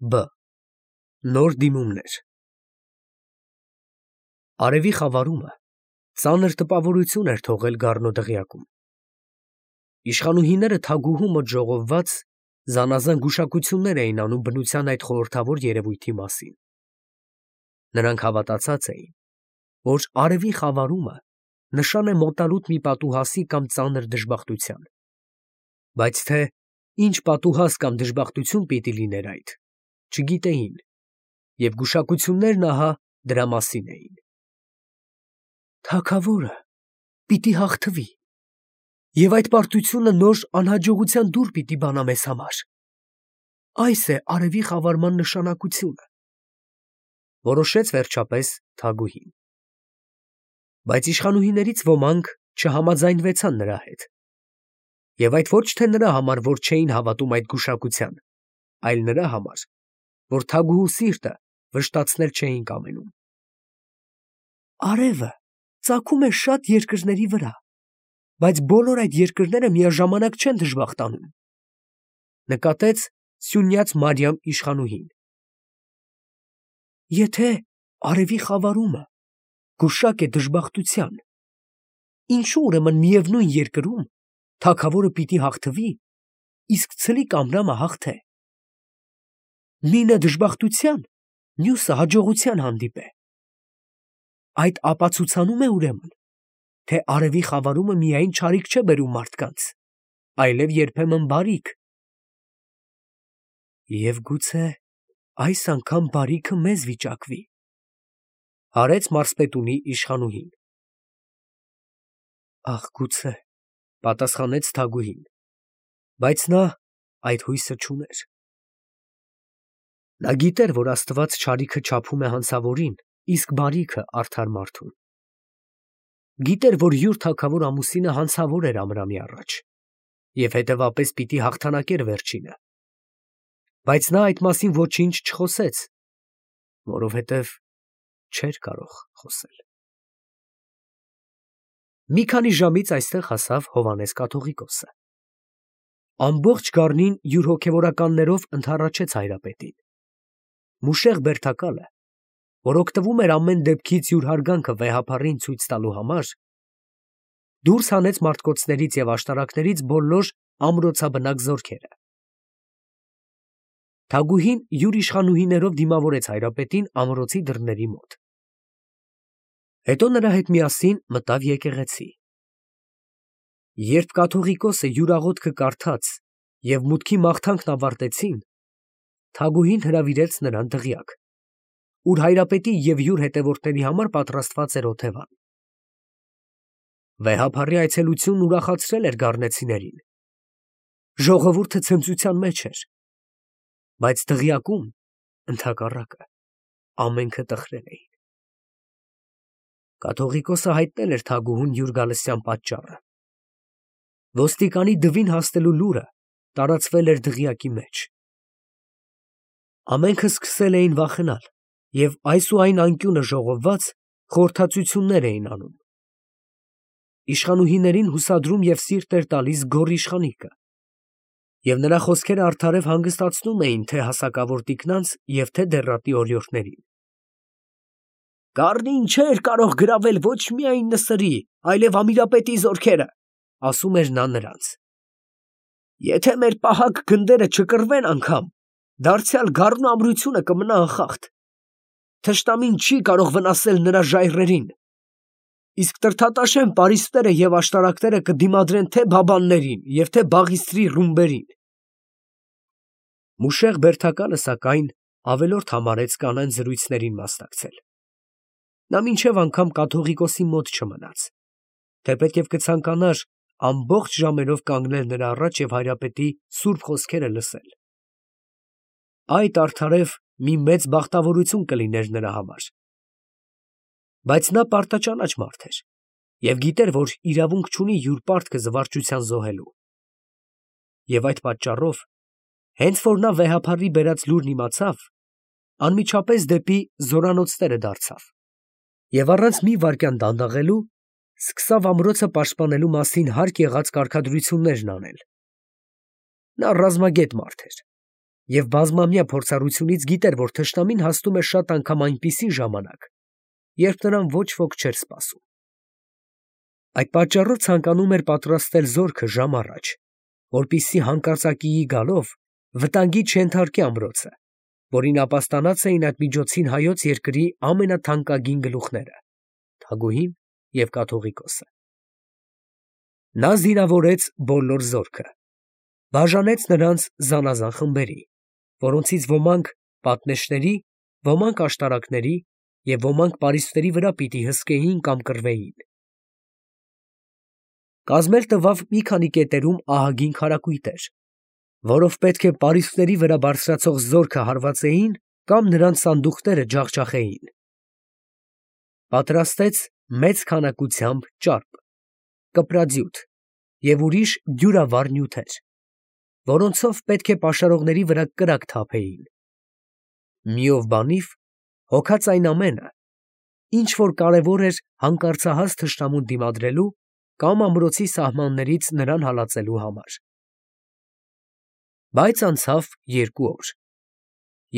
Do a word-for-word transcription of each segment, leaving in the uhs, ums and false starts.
Բ. Նոր դիմումներ։ Արևի խավարումը ծանր տպավորություն էր թողել Գառնու դղյակում։ Իշխանուհիները թագուհու մոտ ժողովված զանազան գուշակություններ էին անում բնության այդ խորհրդավոր երևույթի մասին։ Նրանք հավատացած էին, որ արևի խավարումը նշան է մոտալուտ մի պատուհասի կամ ծանր դժբախտության, բայց թե ինչ պատուհաս կամ դժբախտություն պիտի լիներ այդ, չգիտեին, և գուշակություններն ահա դրա մասին էին։ Թագավորը պիտի հաղթվի, և այդ պարտությունը նոր անհաջողության դուռ պիտի բանա մեզ համար։ Այս է արևի խավարման նշանակությունը, որոշեց վերջապես թագուհին։ Բայց իշխանուհիներից ոմանք չհամաձայնվեցան նրա հետ, և այդ ոչ թե նրա համար, որ չէին հավատում այդ գուշակության, այլ նրա համար, որ թագուհու սիրտը վշտացնել չէին կամենում։ Արևը ծագում է շատ երկրների վրա, բայց բոլոր այդ երկրները միաժամանակ չեն դժբախտանում, նկատեց սյունյաց Մարիամ իշխանուհին։ Եթե արևի խավարումը գուշակ է դժբախտության, ինչու ուրեմն միևնույն երկրում թագավորը պիտի հաղթվի, իսկ ցլիկ Ամրամը հաղթե։ Մինը դժբախտության, մյուսը հաջողության հանդիպե։ Այդ ապացուցանում է ուրեմն, թե արևի խավարումը միայն չարիք չէ բերում մարդկանց, այլև երբեմն բարիք։ Եվ գուցե այս անգամ բարիքը մեզ վիճակվի, հարեց մարզպետունի իշխանուհին։ Ախ, գուցե, պատասխանեց թագուհին, բայց նա այդ հույսը չուներ։ Նա գիտեր, որ Աստված չարիքը չափում է հանցավորին, իսկ բարիքը արդար մարդուն։ Գիտեր, որ յուր թագավոր ամուսինը հանցավոր էր Ամրամի առաջ, և հետևապես պիտի հաղթանակեր վերջինը, բայց նա այդ մասին ոչինչ չխոսեց, որովհետև չէր կարող խոսել։ Մի քանի ժամից այստեղ հասավ Հովհաննես կաթողիկոսը։ Ամբողջ գառնին յուր հոգևորականներով ընդառաջեց հայրապետին։ Մուշեղ բերդակալը, որ օգտվում էր ամեն դեպքից յուր հարգանքը վեհափառին ցույց տալու համար, դուրս հանեց մարտկոցներից և աշտարակներից բոլոր ամրոցաբնակ զորքերը։ Թագուհին յուր իշխանուհիներով դիմավորեց հայրապետին ամրոցի դռների մոտ։ Հետո նրա հետ միասին մտավ եկեղեցի։ Երբ կաթողիկոսը յուր աղոթքը կարդաց և մուտքի մաղթանքն ավարտեցին, թագուհին հրավիրեց նրան դղյակ, ուր հայրապետի և յուր հետևորդների համար պատրաստված էր օթևան։ Վեհափառի այցելությունն ուրախացրել էր գառնեցիներին։ Ժողովուրդը ցնծության մեջ էր, բայց դղյակում, ընդհակառակը, ամենքը տխրել էին։ Կաթողիկոսը հայտնել էր թագուհուն յուր գալստյան պատճառը։ Ոստիկանի դվին հասնելու լուրը տարածվել էր դղյակի մեջ։ Ամենքը սկսել էին վախենալ և այս ու այն անկյունը ժողովված խորհրդածություններ էին անում։ Իշխանուհիներին հուսադրում և սիրտ էր տալիս գոռ իշխանիկը, և նրա խոսքերը արդարև հանգստացնում էին թե հասակավոր տիկնանց և թե դեռատի օրիորդներին։ Գառնին չէր կարող գրավել ոչ միայն նսրի, այլև Ամիրապետի զորքերը, ասում էր նա նրանց։ Եթե մեր պահակ գնդերը չկռվեն անգամ, դարձյալ գառնու ամրությունը կմնա անխախտ։ Թշնամին չի կարող վնասել նրա ժայռերին, իսկ տրդատաշեն պարիսպները և աշտարակները կդիմադրեն թե բաբաններին և թե Բաղիստրի ռումբերին։ Մուշեղ բերդակալը, սակայն, ավելորդ համարեց կանանց զրույցներին մասնակցել։ Նա մինչև անգամ կաթողիկոսի մոտ չմնաց, թեպետև կցանկանար ամբողջ ժամերով կանգնել նրա առաջ և հայրապետի սուրբ խոսքերը լսել։ Այդ արդարև մի մեծ բախտավորություն կլիներ նրա համար։ Բայց նա պարտաճանաչ մարդ էր և գիտեր, որ իրավունք չունի յուր պարտքը զվարճության զոհելու։ Եվ այդ պատճառով, հենց որ նա վեհափառի բերած լուրն իմացավ, անմիջապես դեպի զորանոցները դարձավ և առանց մի վայրկյան դանդաղելու սկսավ ամրոցը պաշտպանելու մասին հարկ եղած կարգադրություններն անել։ Նա ռազմագետ մարդ էր, և բազմամյա փորձառությունից գիտեր, որ թշնամին հասնում է շատ անգամ այնպիսի ժամանակ, երբ նրան ոչ ոք չէր սպասում։ Այդ պատճառով ցանկանում էր պատրաստել զորքը ժամ առաջ, որպեսզի հանկարծակիի գալով վտանգի չենթարկի ամրոցը, որին ապաստանած էին այդ միջոցին հայոց երկրի ամենաթանկագին գլուխները՝ Թագուհին և Կաթողիկոսը։ Նա զինավորեց բոլոր զորքը, բաժանեց նրանց զանազան խմբերի, որոնցից ոմանք պատնեշների, ոմանք աշտարակների և ոմանք պարիսպների վրա պիտի հսկեին կամ կռվեին։ Կազմել տվավ մի քանի կետերում ահագին քարակույտեր, որով պետք է պարիսպների վրա բարձրացող զորքը հարվածեին կամ նրանց սանդուղքները ջախջախեին։ Պատրաստեց մեծ քանակությամբ ճարպ, կպրաձյուտ և ուրիշ դյուրավառ նյութեր, որոնցով պետք է պաշարողների վրա կրակ թափեին։ Միով բանիվ հոգած այն ամենը, ինչ որ կարևոր էր հանկարծահաս թշնամուն դիմադրելու կամ ամրոցի սահմաններից նրան հալածելու համար։ Բայց անցավ երկու օր,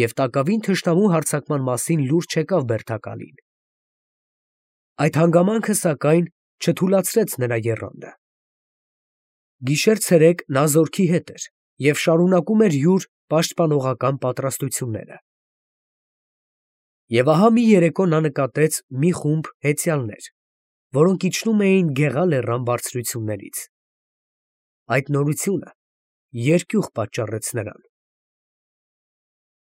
և տակավին թշնամու հարձակման մասին լուր չեկավ Բերդակալին։ Այդ հանգամանքը, սակայն, չթուլացրեց նրա եռանդը։ Գիշեր֊ցերեկ նա զորքի հետ էր և շարունակում էր յուր պաշտպանողական պատրաստությունները։ Եվ ահա մի երեկո նա նկատեց մի խումբ հեծյալներ, որոնք իջնում էին Գեղա լեռան բարձրություններից։ Այդ նորությունը երկյուղ պատճառեց նրան։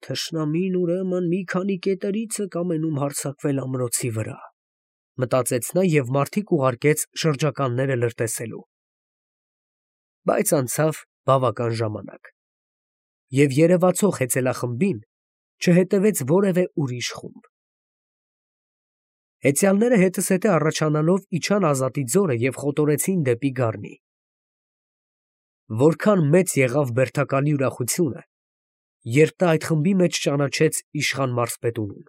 «Թշնամին, ուրեմն, մի քանի կետերից է կամենում հարձակվել ամրոցի վրա», մտածեց նա և մարդիկ ուղարկեց շրջականները լրտեսելու։ Բայց անցավ բավական ժամանակ, և երևացող հեծելախմբին չհետևեց որևէ ուրիշ խումբ։ Հեծյալները հետզհետե առաջանալով իջան Ազատի ձորը և խոտորեցին դեպի Գառնի։ Որքան մեծ եղավ Բերդակալի ուրախությունը, երբ նա այդ խմբի մեջ ճանաչեց իշխան մարզպետունին։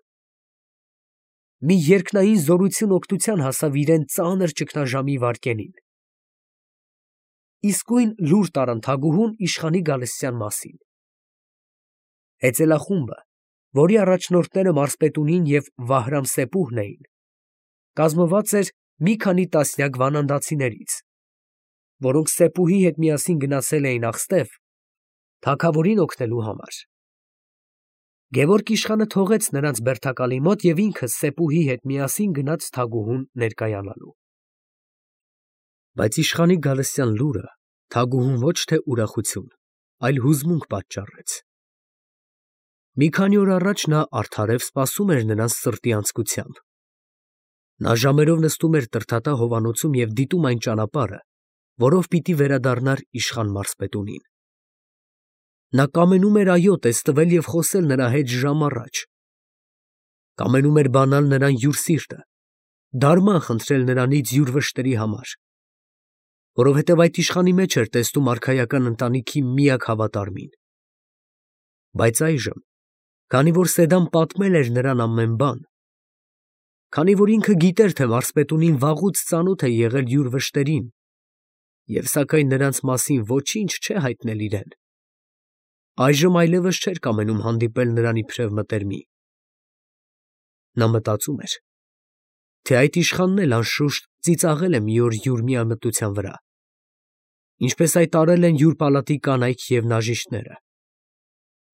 Մի երկնային զորություն օգնության հասավ իրան ծանր ճգնաժամի վայրկենին։ Իսկույն լուր տարան թագուհուն իշխանի գալստյան մասին։ Հեծելախումբը, որի առաջնորդները մարզպետունին և Վահրամ-Սեպուհն էին, կազմված էր մի քանի տասնյակ վանանդացիներից, որոնք Սեպուհի հետ միասին գնացել էին Ախստև, թագավորին օգնելու համար։ Գևորգ իշխանը թողեց նրանց Բերդակալի մոտ և ինքը Սեպուհի հետ միասին գնաց թագուհուն ներկայանալու։ Բայց իշխանի գալստյան լուրը թագուհուն ոչ թե ուրախություն, այլ հուզմունք պատճառեց։ Մի քանի օր առաջ նա արդարև սպասում էր նրանց սրտի անձկությամբ։ Նա ժամերով նստում էր Տրդատա հովանոցում և դիտում այն ճանապարհը, որով պիտի վերադառնար իշխան մարզպետունին։ Նա կամենում էր այո տեստվել և խոսել նրա հետ ժամ առաջ։ Կամենում էր բանալ նրան յուր սիրտը, դարման խնդրել նրանից յուր վշտերի համար, որովհետև այդ իշխանի մեջ էր տեսնում արքայական ընտանիքի միակ հավատարմին։ Բայց այժմ, քանի որ Սեդան պատմել էր նրան ամեն բան, քանի որ ինքը գիտեր, թե մարզպետունին վաղուց ծանոթ է եղել յուր վշտերին և սակայն նրանց մասին ոչինչ չէ հայտնել իրան, այժմ այլևս չէր կամենում հանդիպել նրան իբրև մտերմի։ Նա մտածում էր, թե այդ իշխանն էլ անշուշտ ծիծաղել է մի օր յուր միամտության վրա, ինչպես այդ արել են յուր պալատի կանայք և նաժիշտները,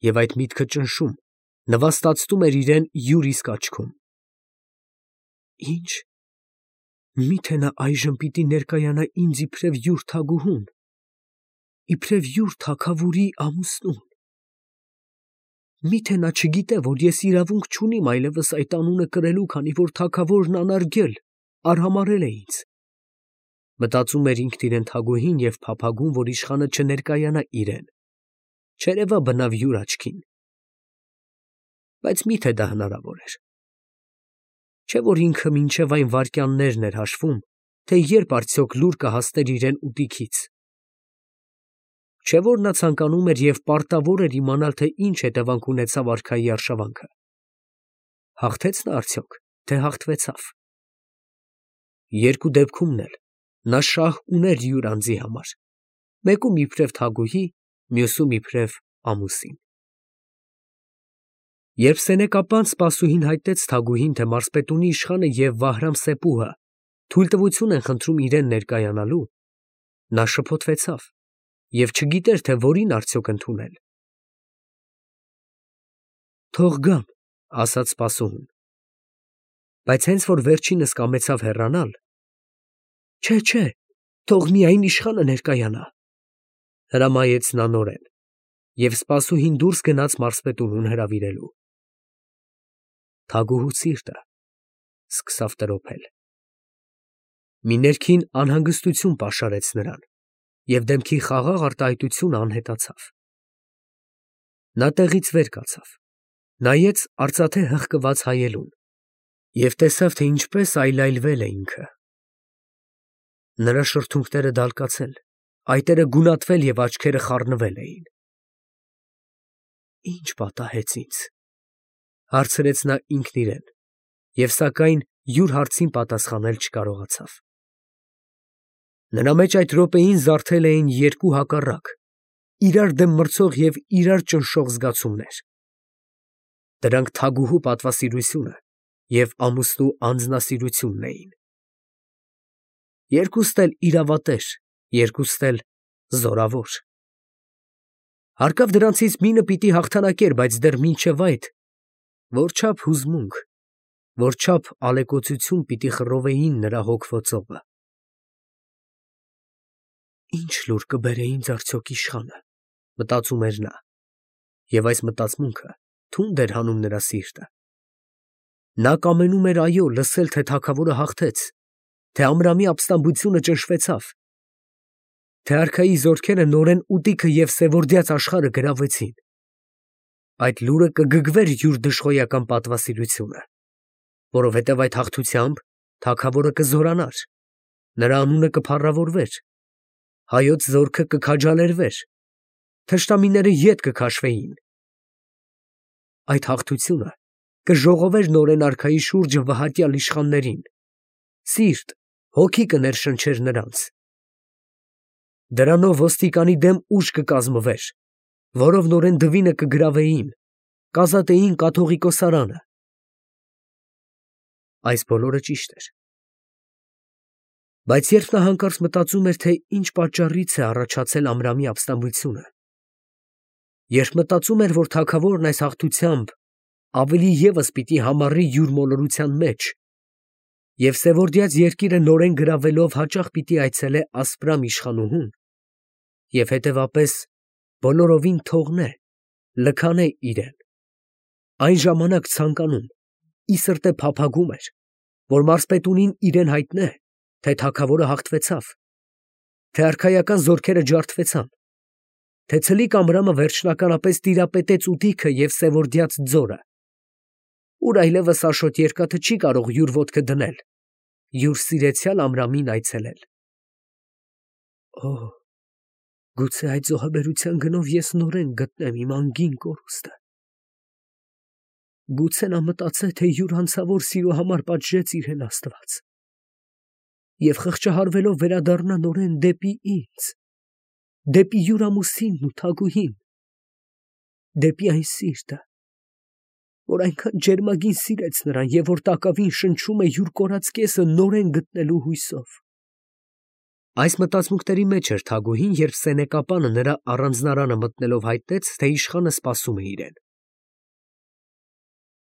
և այդ միտքը ճնշում, նվաստացնում էր իրան յուր իսկ աչքում։ Ի՞նչ, միթե նա այժմ պիտի ներկայանա ինձ իբրև յուր թագուհուն, իբրև յուր թագավորի ամուսնուն։ Միթե նա չգիտե, որ ես իրավունք չունիմ այլևս այդ անունը կրելու, քանի որ թագավորն անարգել, արհամարհել է ինձ։ Մտածում էր ինքն իրեն թագուհին և փափագում, որ իշխանը չներկայանա իրան, չերևա բնավ յուր աչքին։ Բայց միթե դա հնարավոր էր։ Չէ՞ որ ինքը մինչև այն վայրկյաններն էր հաշվում, թե երբ արդյոք լուր կհասներ իրան ուտիքից։ Չէ՞ որ նա ցանկանում էր և պարտավոր էր իմանալ, թե ինչ հետևանք ունեցավ արքայի արշավանքը։ Հաղթե՞ց նա արդյոք, թե հաղթվեցավ։ Երկու դեպքումն էլ նա շահ ուներ յուր անձի համար, մեկում իբրև թագուհի, մյուսում իբրև ամուսին։ Երբ սենեկապան սպասուհին հայտնեց Թագուհին, թե մարզպետունի իշխանը և Վահրամ-Սեպուհը թույլտվություն են խնդրում իրեն ներկայանալու, նա շփոթվեցավ և չգիտեր, թե որին արդյոք ընդունել։ «Թող գան», ասաց սպասուհուն, բայց հենց որ վերջինս կամեցավ հեռանալ. «Չէ, չէ, թող միայն իշխանը ներկայանա», հրամայեց նա նորեն, և սպասուհին դուրս գնաց մարզպետունուն հրավիրելու։ Թագուհու սիրտը սկսավ տրոփել։ Մի ներքին անհանգստություն պաշարեց նրան, և դեմքի խաղաղ արտահայտությունը անհետացավ։ Նա տեղից վեր կացավ, նայեց արծաթե հղկված հայելուն և տեսավ, թե ինչպես այլայլվել է ինքը։ Նրա շրթունքները դալկացել, այտերը գունատվել և աչքերը խառնվել էին։ «Ի՞նչ պատահեց ինձ», հարցրեց նա ինքն իրեն և սակայն յուր հարցին պատասխանել չկարողացավ։ Նրա մեջ այդ րոպեին զարթել էին երկու հակառակ, իրար դեմ մրցող և իրար ճնշող զգացումներ։ Դրանք թագուհու պատվասիրությունը և ամուսնու անձնասիրությունն էին։ Երկուստ էլ իրավատեր, երկուստ էլ զորավոր։ Հարկավ դրանցից մինը պիտի հաղթանակեր, բայց դեռ մինչև այդ որչափ հուզմունք, որչափ ալեկոծություն պիտի խռովեին նրա հոգվո ծովը։ «Ի՞նչ լուր կբերե ինձ արդյոք իշխանը», մտածում էր նա, և այս մտածմունքը թունդ էր հանում նրա սիրտը։ Նա կամենում էր, այո, լսել, թե թագավորը հաղթեց, թե Ամրամի ապստամբությունը ճնշվեցավ, թե արքայի զորքերը նորեն ուտիքը և սևորդյաց աշխարհը գրավեցին։ Այդ լուրը կգգվեր յուր դժխոյական պատվասիրությունը, որովհետև այդ հաղթությամբ թագավորը կզորանար, նրա անունը կփառավորվեր, հայոց զորքը կքաջալերվեր, թշնամիները ետ կքաշվեին։ Այդ հաղթությունը կժողովեր նորեն արքայի շուրջը վհատյալ իշխաններին, սիրտ, հոգի կներշնչեր նրանց։ Դրանով ոստիկանի դեմ ուժ կկազմվեր, որով նորեն դվինը կգրավեին, կազատեին կաթողիկոսարանը։ Այս բոլորը ճիշտ էր։ Բայց երբ նա հանկարծ մտածում էր, թե ինչ պատճառից է առաջացել Ամրամի ապստամբությունը, երբ մտածում էր, որ թագավորն այս հաղթությամբ ավելի ևս պիտի համառի յուր մոլորության մեջ, և սևորդյաց երկիրը նորեն գրավելով հաճախ պիտի այցելե ասպրամ իշխանուհուն, և հետևապես բոլորովին թողնե, լքանե իրեն, այն ժամանակ ցանկանում, ի սրտե փափագում էր, որ մարզպետունին իրեն հայտնե, թե թագավորը հաղթվեցավ, թե արքայական զորքերը ջարդվեցան, թե ցլիկ Ամրամը վերջնականապես տիրապետեց ուտիքը և սևորդյաց ձորը, ուր այլևս Աշոտ Երկաթը չի կարող յուր ոտքը դնել, յուր սիրեցյալ Ամրամին այցելել։ Օ, գուցե այդ զոհաբերության գնով ես նորեն գտնեմ իմ անգին կորուստը։ Գուցե նա մտածե, թե յուր անցավոր սիրո համար պատժեց իրեն Աստված, և խղճահարվելով վերադառնա նորեն դեպի ինձ, դեպի յուր ամուսինն ու Թագուհին, դեպի այն սիրտը, որ այնքան ջերմագին սիրեց նրան և որ տակավին շնչում է յուր կորած կեսը նորեն գտնելու հույսով։ Այս մտածմունքների մեջ էր Թագուհին, երբ սենեկապանը նրա առանձնարանը մտնելով հայտնեց, թե իշխանը սպասում է իրեն։